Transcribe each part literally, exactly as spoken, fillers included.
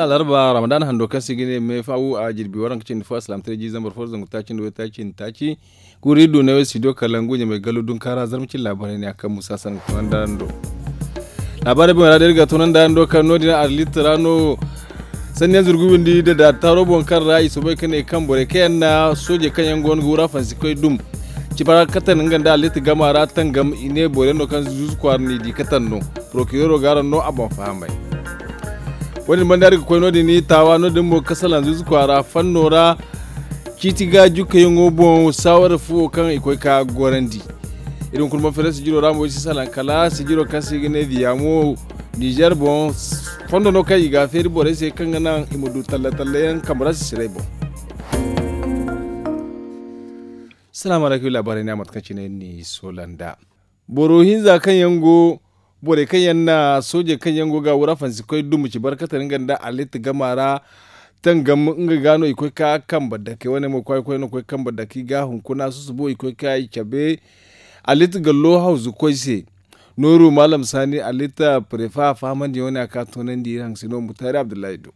Alarba ramadan hando kaŋ se i ga ne me fo a jirbi waranka cindi fo alsilaamataray jiiri zambar fo zangu taaci nda waytaaci nda taaci. Guuri iri du ne wo studio kalangu ɲamay gallo dunkaara zarma cine laabaray ne a kaŋ musa sanni ga toonandi araŋ do. Laabaarey boŋ ra day iri ga toonandi araŋ do kaŋ no- din arlit ra no sanni yaŋ zurgu windi da daari taaro boŋ kaŋ ra i soobay ka ne kaŋ borey kaŋ yaŋ na soojey kaŋ yaŋ go no ga wura fansi koy dum. Cifa ra katan nga nda arlit gama ra tangam i ne boro yaŋ no kaŋ zuuzu kwaara n'i di katan no. Porokireero ga araŋ no a boŋ fahamay. Wo- din banda iri ga koy no- din taawa no- din mo ga salaŋ zuuzu kwaara fanno ra. Ciiti ga jukkayaŋo boŋ saawara fuwo kaŋ i koy ka gorandi. Iri hunkuna ma fere sijiro ra mo iri si salaŋ kala sijiro kaŋ se i ga ne diyaamo nizer boŋ. Fondo no kaŋ i ga a feeri borey se kaŋ ga naŋ i ma du talla talla yaŋ kambe ra sisiray boŋ. Salaamu alaykum laabaarey ne a mate kaŋ cine iri n'i soola nd'a. Boro hinza kaŋ yaŋ go borey kaŋ yaŋ na soojey kaŋ yaŋ go ga wura fansi koy dum ci barkate nga nda alit gama ra. Tangam nga ga no i koy ka kambe dake wane mo kwaay koy no koy kambe dake i ga hunkuna susubo i koy ka i cabe. Alit gallo hawzu koy se. Nooru maalam saani alit prefa fahamandi wane a ka toonandi iri haŋ sino mutaari abdullahi do.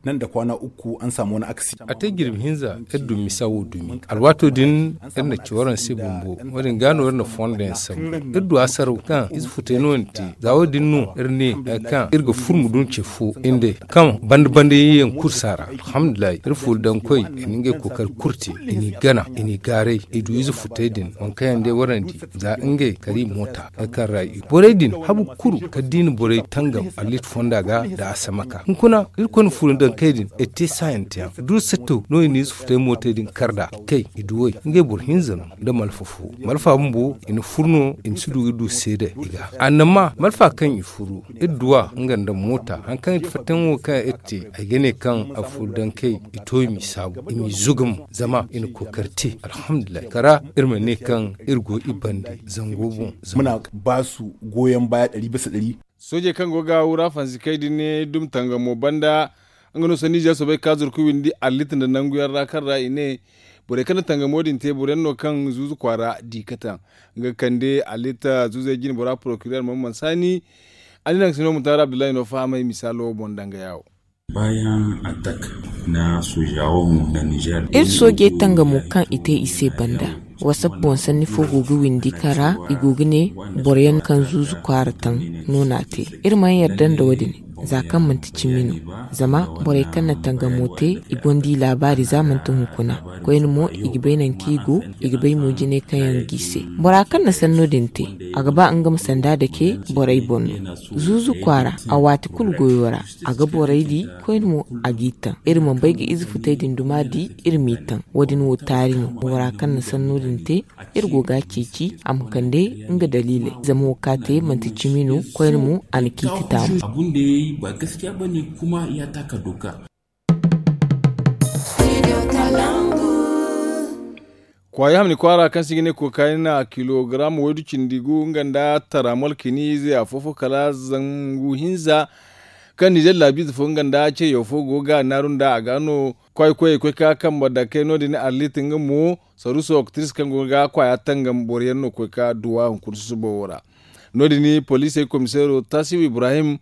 Nan da kwana uku an samu wani akasi. A te jirbi hinza iri dumi misa wo dumi alwaato din iri na ci waraŋ se bumbo. Wo- din ga no iri na fondo yaŋ sambu iri du a saraw kaŋ ize futay no ni te. Za wo- din no iri ne kaŋ iri ga furmu dun ce fo inday kaŋ banda banda yaŋ kulu saara. Alhamdulillahi iri fuuri daŋ koy i na ngey kookari kulu te. I n'i gana i n'i gaaray i du ize futay din waŋ kaŋ yaŋ day warandi za ngey kari moota. Borey din habu kulu kala da i na borey tangam allit fonda ga nda a samaka hunkuna. Irkoy na fuuri daŋ kay din iri te saayanteyaŋ duru satto no i na ize futay mootey din kar nd'a. Kay i duwey ngey boro hinza no nda malfa fo. Malfa bumbo i na furu no i ma si du ga du seede i ga annama malfa kaŋ i furu iri duw'a nga nda moota hari kaŋ i ti fattayaŋ wo kaŋ iri te. Ay ga ne kaŋ a furu daŋ kay i to i m'i saabu i m'i zugum zama i na kookari te alhamdulillahi kara iri ma ne kaŋ iri go i bande zango boŋ. Muna ba su goyon baya ɗari bisa ɗari. Soojey kaŋ go ga wura fansi kay din ne dum tangamo banda nga no sanni ize soobay ka zurku windi allit nda nangu yaŋ ra kaŋ ra i ne borey kaŋ na tangamo din te boro yaŋ no kaŋ zuuzu kwaara di kataŋ. Nga ga kande allit zuuzey jine bora porokireer mamman saani. Allit haŋ sino mutaari abdullahi no fahamay misaalo boŋ danga yaawo. Baayaŋ atak na soojawo mo na nizer. Iri soojey tangamo kaŋ i te i se banda. Wasap boŋ sanni fo go ga windi kaŋ ra i go ga ne boro yaŋ kaŋ zuuzu kwaara taŋ no n'a te. Iri mana yarda nda wo- din za kaŋ manti cimi no. Zama borey kaŋ na tangamo te i gonda i laabaari za manti hunkuna. Koyne mo i ga bay nangu kaŋ i go. I ga bay mo jinay kaŋ yaŋ g'i se. Bora kaŋ na sanno din te a ga ba nga ma sanda dake borey boŋ no. Zuuzu kwaara a waati kulu goyo ra a ga borey di. Koyne mo a g'i taŋ iri mana bay ga ize futay din duma di. Iri m'i taŋ wo- din wo taari no bora kaŋ na sanno din te. Iri go ga a ceeci a ma kande nga daliiley zama wo kaŋ a te manti cimi no. Koyne mo a na ciiti taamu. Kwaayi hamni kwaara kaŋ se i ga ne kokaayna kilogaram waydu cindi gu nga nda taramol kini ize afo-fo kala zangu hinza. Kaŋ nizer laabiize fo nga nda ceeyo fo go ga naaru nd'a a ga no. Kwaayi koyey koy ka kambe dakey no- din arlit nga mo saruuso oktiris kaŋ go ga kwaaya tangam boro yaŋ no koy ka duw'a hunkuna susubo wo ra. No- din poliisey komiseero taasiw ibrahim.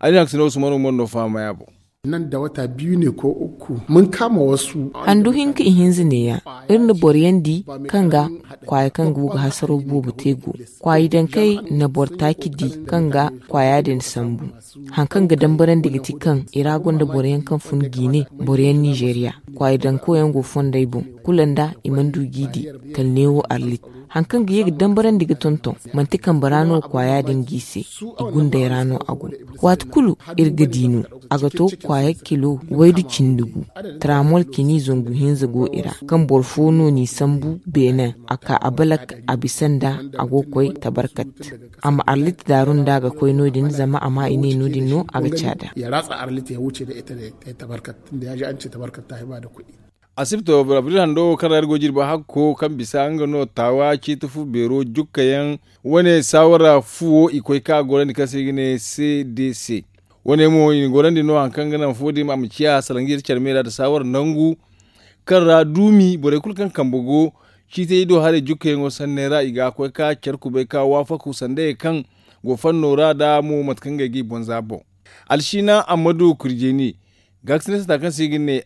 Ay na haŋ ka si ne wo sumano mo no fahamay a boŋ. Nan da wata biyu ne ko uku mun kama wasu. Handu hinka ihinza neeya. Iri na boro yaŋ di kaŋ ga kwaaya kaŋ go ga hasaro boobo te go. Kwaayi daŋ kay na boro taaci di kaŋ ga kwaaya din sambu. Haŋ kaŋ ga dambarandi ga ti kaŋ i ra gonda boro yaŋ kaŋ fun jiine boro yaŋ nizeeriya. Kwaayi daŋ koyaŋ go fondey boŋ kulu nda i mana du g'i di. Kala neewo arlit haŋ kaŋ ga ye ga dambarandi ga tonton manti kambe ra no kwaaya din g'i se. I gundey ra no a go. Waati kulu iri ga di no a ga to kwaaya kilo waydu cindi gu. Taramol kini zangu hinza go i ra kaŋ boro fo no n'i sambu beene a ka a balak a bisa nda a go ga koy tabarkat. A ma arlit daaru nda a ga koy no- din zama a ma i ne no- din no a ga caada. Ya ratsa arlit ya wuce da ita da tabarkat tunda ya ji an ce tabarkat ta hiba da kuɗi. Asibto abril hando wo kaŋ ra iri go jirbi hakko kaŋ bisa nga no taawa ciiti fu beero jukka yaŋ wane saawara fuwo i koy ka gorandi kaŋ se i ga ne c d c. Wane mo i na gorandi no hari kaŋ ga naŋ fuwo din a ma ciya salaŋ ga iri care me ra nda saawara nangu. Kaŋ ra duumi borey kulu kaŋ kambe go ciitey do haray jukkayaŋo sanney ra i ga koy ka care kubay ka waafaku sanda ye kaŋ go fanno ra da mo mate kaŋ ngey g'i boŋ za boŋ. Alsiina ammadu kurjeni Gaakasina sata kaŋ se i ga ne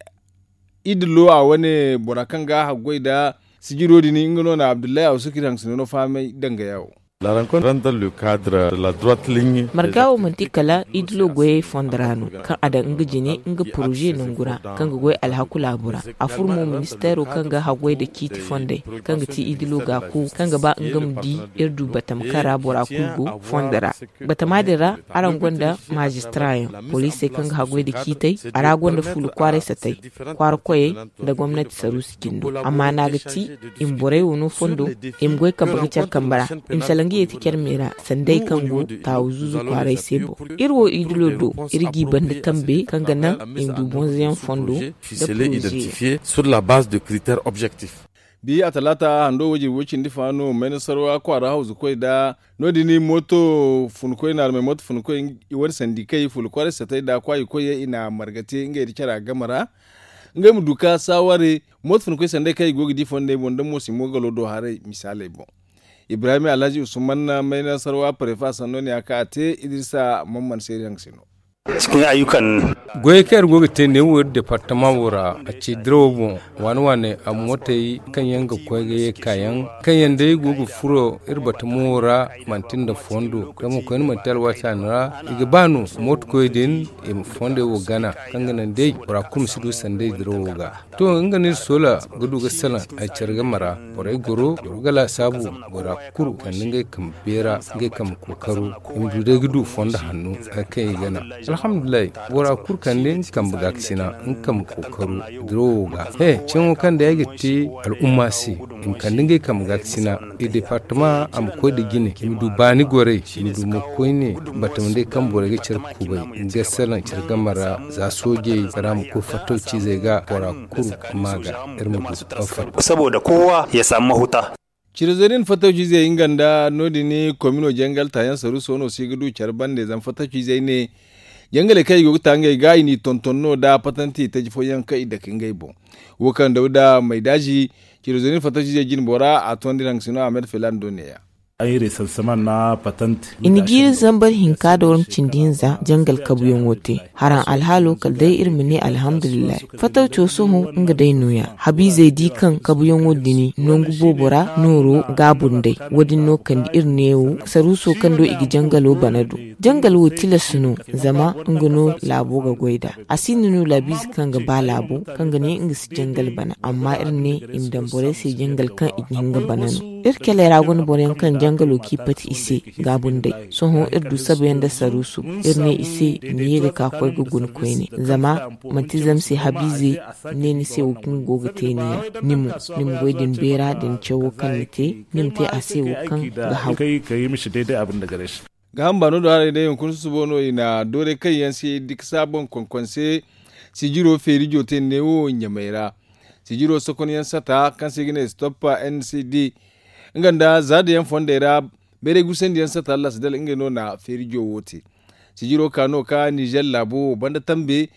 idilo a wane bora kaŋ ga haggoy nda sijiro din nga no na abdullahi awsukir haŋ sino no fahamay danga yawo. Marga wo manti kala idilo goyey fondo ra no, kaŋ a daŋ nga jine nga poroze nangu ra, kaŋ ga goy alhaku laabu ra. A furo mo ministeero kaŋ ga haggoy nda ciiti fondey, kaŋ ga ti idilo gaaku kaŋ ga ba nga ma di iri du batama kaŋ ra bora kulu go fondo ra. Batama din ra, araŋ gonda maazistara yaŋ, poliisey kaŋ ga haggoy nda ciitey. A ra gonda fuula kwaaray satay, kwaara koyey, nda gomnati saruusi cindo. Amma no a ga ti i ma borey wo no fondo, i ma goy kambe ga care kambe ra, i ma salaŋ ga yeeti care me ra, sanday kaŋ go taawu zuuzu kwaaray se boŋ. Iri wo idilo do, iri g'i banda tambe kaŋ ga naŋ i ma du bonzoyaŋ fondo nda poroze yaŋ. Bi a talaata hando wajir way cindi fa no maynasarwa kwaara hawzu koy nda no- din mooto funkoy naarmey mooto funkoy i wane sandi kay fuula kwaaray satay nda kwaayi koyey i na marga te ngey nda cara game ra. Ngey ma du ka saaware mooto funkoy sanday kaŋ i go ga di fondey boŋ nda mo si mo galo do haray misaaley boŋ. Ibrahim alhaji usman mayna sarwa parefa sanno ne a ka a te idrisa mamman seeri haŋ se no. Goyey kaŋ iri go ga te neewo iri departama wo ra a ci dirawo boŋ waane waane a mootey kaŋ yaŋ ga koy ga ye kaayaŋ kaŋ yaŋ day go ga furo iri batamo wo ra manti nda fondo zama koyne manti alwaati a no ra. I ga ba no mooto koy din i ma fondey wo gana kaŋ ga naŋ day bora kulu ma si du sanday dirawo ga. To nga no iri soola ga du ga salaŋ ay care game ra borey goro goro ga laasaabu bora kulu kande ngey kambe beera ngey kambe kookaro. I ma du day ga du fondo hanno hari kaŋ i gana. Alhamdulillahi bora kulu kande nga kambe gaakasina nga kambe kookaro dirawo ga he ceeyaŋo kaŋ day ay ga te al'umma se i ma kande ngey kambe gaakasina. I departama a ma koy nda jine i ma du baani gorey i ma du mo koyne batamandey kaŋ borey ga care kubay ga salaŋ care game ra za soojey ra ma koy fattaw ciizey ga bora kulu ma ga iri ma du. Saboda kowa ya samu mahuta. Cire zey din fattaw ciizey nga nda no- din komino jangal taayaŋ saruuso no se ga du care bande zama fattaw ciizey ne jangaley kaŋ i go ga ta ngey ga i n'i tonton no nda patanti taji fooyaŋ kaŋ i dake ngey boŋ. Wo kaŋ dawda maydaazi cire zey din fattaw ciizey jine bora a tondi naŋ sino ahmed felan do neeya. I na jiiri zambar hinka da waranka cindi hinza jangal kabuyaŋo te. Haraŋ alhaalo kala day iri ma ne alhamdulillahi. Fatawco sohõ nga day nooya habiizey di kaŋ kabuyaŋo dini nangu boobo ra nooro gaabu nd'ey. Wo- din no kande iri neewo saruuso kaŋ do i ga jangalo bana do. Jangal wo tilas no zama nga no laabo ga goy nd'a. A sinda no laabiize kaŋ ga ba laabo kaŋ ga ne nga si jangal bana amma iri ne i ma daŋ borey se jangal kaŋ i ga hin ga bana no. Iri caley ra gonda boro yaŋ kaŋ jangalo kaŋ i pati i se gaabu nd'ey. Sohõ iri du sabayaŋ nda saruusu iri ne i se i ma ye ga ka koy ga guna koyne zama manti zama se habiize ne ni se wo kaŋ go ga te ni yaŋ. Ni mo ni ma goy da ni beera da ni cawo kaŋ ni te ni ma te a se wo kaŋ ga haw. Ga hamba no do haray day hunkuna susubo no i na doorey kaŋ yaŋ si dikasa boŋ konkonse sijiro feerijo te neewo ɲamey ra. Sijiro sokonyaŋ sata kaŋ se i ga ne stop n c d nga nda zaadayaŋ fondey ra. Bayray gusandiyaŋ sata lasidal ngey no na feerijo wo te. Sijiro ka no ka nizer laabo wo banda tambe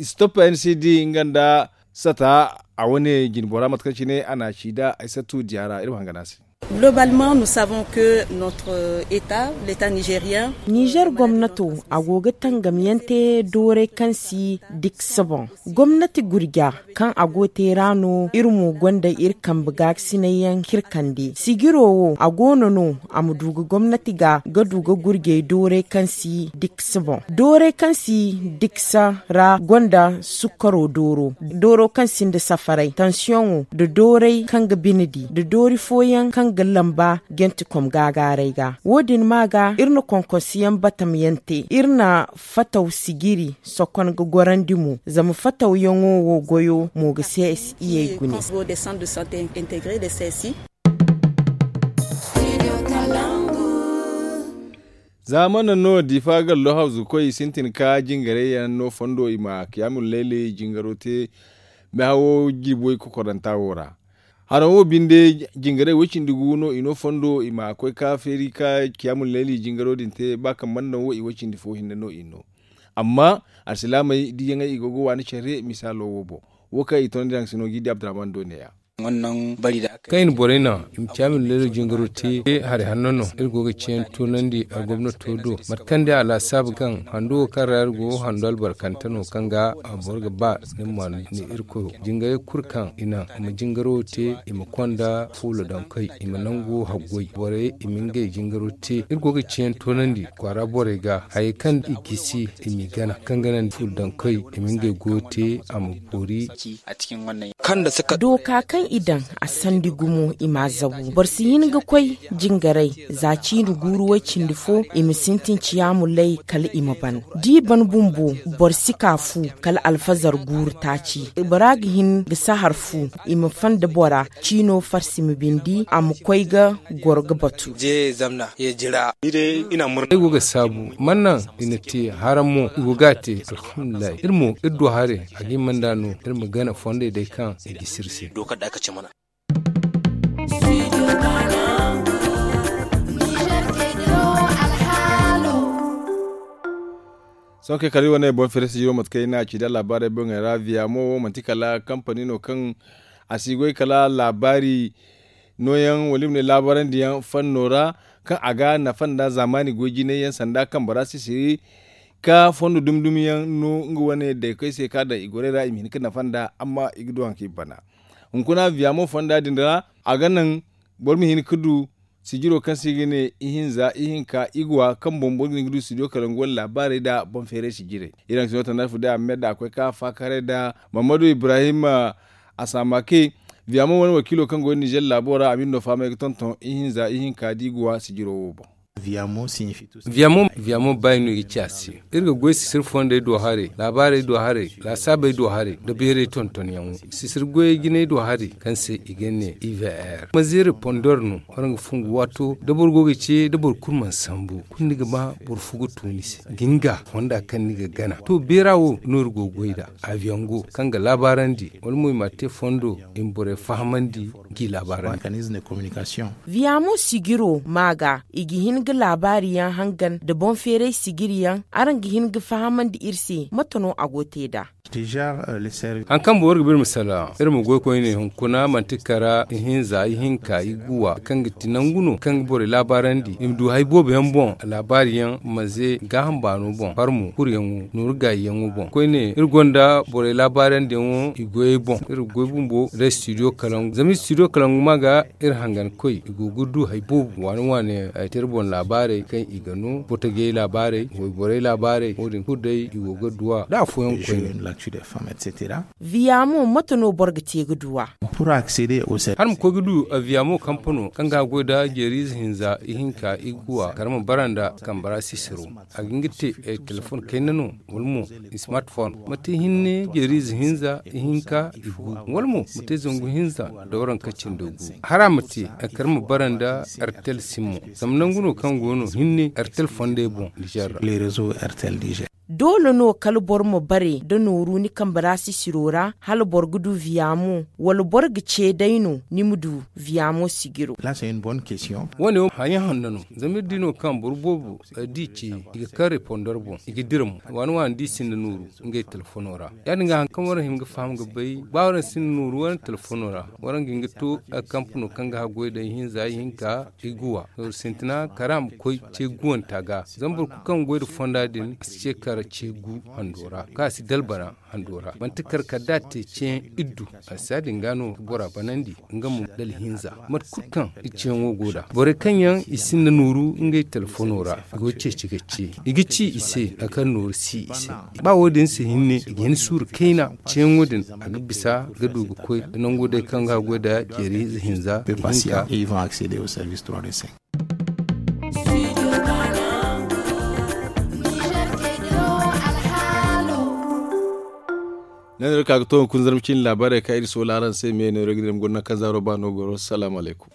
stop n c d nga nda sata a wane jinbora mate kaŋ cine a na a ci nd'a ay sattu diya ra iri ma hangan a se. Globalement nous savons que notre état l'état nigérien. Nizer gomnato a go ga tangamyaŋ te doorey kaŋ si diksa boŋ. Gomnati gurja kaŋ a go te ra no iri mo gonda iri kambe gaakasinayyaŋ k'iri kande sijiro wo a go no no a ma du ga gomnati ga ga du ga gurjey doorey kaŋ si diksa boŋ. Doorey kaŋ si diksa ra gonda sukkaro dooro dooro kaŋ sinda safaray tansiyoŋo nda doorey kaŋ ga bine di nda doori fooyaŋ kaŋ ga lamba jantikom gaagaaray ga. Wo- din ma ga iri na konkonsiyaŋ batamyaŋ te iri na fataw sijiri sokon ga gorandi mo zama fatawyaŋo wo goyo mo ga se iyey gune. Za mana no difa gallo hawzukoy sintin ka jingarayyaŋ no fondo i ma kiyamul layli jingaro te mehawo jirbi way kokoranta wo ra. Haraŋ wo binde jingaray way cindi gu no i no fondo i ma koy ka feeri ka kiyamul layli jingaro din te ba kaŋ mana naŋ wo i way cindi fo hinne no i no. Amma alsilaamey diyaŋey i go ga waani care misaalo wo boŋ. Wo kaŋ i toonandi haŋ sino g'i di abdurahman do neeya. Kaŋ i na borey naŋ i ma caami laleero jingaro te, hari hanno no iri go ga ciyaŋ toonandi a gomnato do. Mate kaŋ day a laasaabu kaŋ hando wo kaŋ ra iri go hando albarkante no kaŋ ga boro ga ba ni ma ni irkoyo jingaray kulu kaŋ i naŋ i ma jingaro te, i ma konda fuula daŋ koy, i ma nangu haggoy borey i ma ngey jingaro te. Iri go ga ciyaŋ toonandi kwaara borey ga hayey kaŋ i gisi i m'i gana kaŋ ga naŋ fuula daŋ koy i ma ngey goyo te a ma boori. Dooka kaŋ i daŋ a sandi gumo i m'a zabu. Boro si hin ga koy jingaray za ciine guuru way cindi fo i ma sintin ciyaamu lay kala i ma ban. Da i ban bumbo boro si ka fu kala alfazar guuru taaci. Bora ga hin ga sahar fu i ma fanda bora ciino farsi ma bindi a ma koy ga goro ga batu. Ay go ga saabu man naŋ i na te haraŋ mo i go ga a te. Alhamdulillahi iri mo iri du haray a ga hima nd'a no iri ma gana fondey day kaŋ i gisi iri se. Sohõ kay kala iri wane boŋ feere sijiro mate kaŋ iri n'a ci da laabaarey boŋey ra viya mo wo manti kala kampani no kaŋ a si goy kala laabaari nooyaŋ wala i ma ne laabaarandi yaŋ fanno ra kaŋ a ga nafa nda zaamaani goy jinay yaŋ sanda kaŋ bora sisiri ka fondo dumi dumi yaŋ no nga wane daykey se kaŋ a daŋ i gorey ra i ma hin ga nafa nda amma i ga du hari kaŋ i bana. Hunkuna viya mo fonda din ra a ga naŋ boro ma hin ga du sijiro kaŋ se i ga ne ihinza ihinka iguwa kaŋ boŋ boro ga hin ga du studio kalangu wane laabaarey nda boŋ feeray sijirey. Iri haŋ sino tanda fo day a ma me nda a koy ka faakaray nda mammadu ibrahim asamake. Viya mo wane wakiilo kaŋ go nizer laabo ra a ma iri no fahamay ga tonton ihinza ihinka da iguwa sijiro wo boŋ. Viya mo baayi no i ga ci a se. Iri ga goy sisir fondey do haray laabaarey do haray laasaabey do haray nda beeray tontonyaŋo. Sisir goyey jinay do haray kaŋ se i ga ne ivr ma zeere pondor no. Waraŋ ga fungu waato da boro go ga ce da boro kulu mana sambu kulu ni ga ba boro fo ga to ni se ga ni ga fonda kaŋ ni ga gana to beera wo no iri go ga goy nd'a. Aviyaŋ go kaŋ ga laabaarandi wala mo i m'a te fondo i ma borey fahamandi. G'i laabaarandi. Viya mo sijiro ma ga i ga hin ga laabaari yaŋ hangan nda boŋ feeray sijiri yaŋ. Araŋ ga hin ga fahamandi iri se mate no a go ga te nd'a? Hari kaŋ boro ga ba iri ma salaŋ iri ma goy koyne hunkuna manti kara ihinza ihinka iguwa kaŋ ga ti nangu no kaŋ ga borey laabaarandi i ma du hari boobo yaŋ boŋ laabaari yaŋ ma ze gaaham baano boŋ farmo kuryaŋo nooru gaayiyaŋo boŋ koyne iri gonda borey laabaarandi yaŋo i goyey boŋ iri ga goy bumbo nda studio kalangu zama studio kalangu ma ga iri hangan koy i go ga du hari boobo waani waani yaŋ ay te iri boŋ laabaarey kaŋ i ga no botogey laabaarey wayborey laabaarey wo- din kulu day i go ga du a da afooyaŋ koyne. Viya mo mate no boro ga te ga du a? Hala ma koy ga du viya mo kampano kaŋ ga goy nda jeeriize hinza ihinka iguwa kala ma bara nda kambara sisiro a ga hin ga te telefon kayna no wala mo smartphone ma te hinne jeeriize hinza ihinka igu wala mo ma te zangu hinza nda waranka cindi gu. Hara ma te kala ma bara nda artel simo zama nangu no kaŋ go no hinne artel fondey boŋ nizer ra. Doole no kala boro ma bare nda nooru ni kambe ra sisiro ra hala boro ga du viya mo wala boro ga ce day no ni ma du viya mo sijiro? Wo- ne wo haya hanno no zama iri di no kaŋ boro boobo da i ce i ga kaŋ repondor boŋ i ga dira mo waani waani da i sinda nooru ngey telefono ra. Ya- din ga hari kaŋ waraŋ hima ga faham ga bay ba waraŋ sinda nooru waraŋ telefono ra waraŋ ga hin ga to kampano kaŋ ga haggoy day hinza ihinka iguwa nooru sintina kala a ma koy ce guwanta ga zama boro kulu kaŋ ga goy nda fonda din a si ce kara ce gu hando ra kaŋ a si dalbana hando ra manti kar kala da a te ceeyaŋ iddu. A si ya- din ga no ga bora banandi nga mo dala hinza mate kulu kaŋ i ceeyaŋo go nd'a borey kaŋ yaŋ i sinda nooru ngey telefono ra i go ceeci ga ce i ga ci i se hari kaŋ nooru si i se. Ba wo- din se hinne i ga hin suuru kayna ceeyaŋo din a ga bisa ga du ga koy nda nango day kaŋ ga goy nda jeeri ize hinza ihinka. Ne no iri ka ga to hunkuna zarma cine laabaarey kaŋ iri soola araŋ se me neero ga dira ma guna kaŋ zaaro ba no goro salaamu alaykum.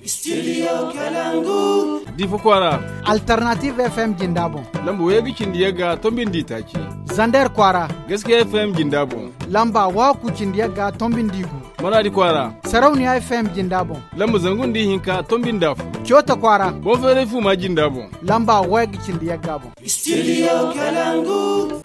Difa kwaara. Alternative fm jinda boŋ. Lamba wayey ga cindi yagga tombi nda itaaci. Zander kwaara. Gaskiya fm jinda boŋ. Lamba waku cindi yagga tombi nda igu. Maradi kwaara. Sarauniya fm jinda boŋ. Lamba zangu nda ihinka tombi nda afo. Coota kwaara. Boŋ feeray fuuma jinda boŋ. Lamba wayey ga cindi yagga boŋ. Studio kalangu.